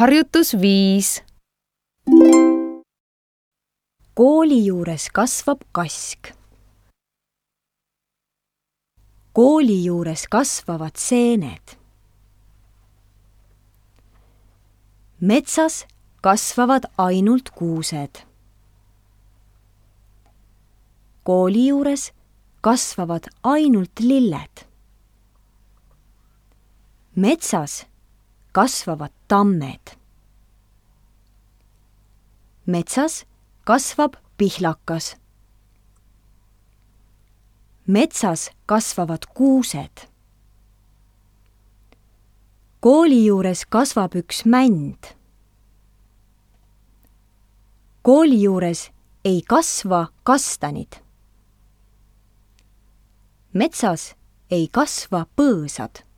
Harjutus 5. Kooli juures kasvab kask. Kooli juures kasvavad seened. Metsas kasvavad ainult kuused. Kooli juures kasvavad ainult lilled. Metsas kasvavad tammed. Metsas kasvab pihlakas. Metsas kasvavad kuused. Kooli juures kasvab üks mänd. Kooli juures ei kasva kastanid. Metsas ei kasva põõsad.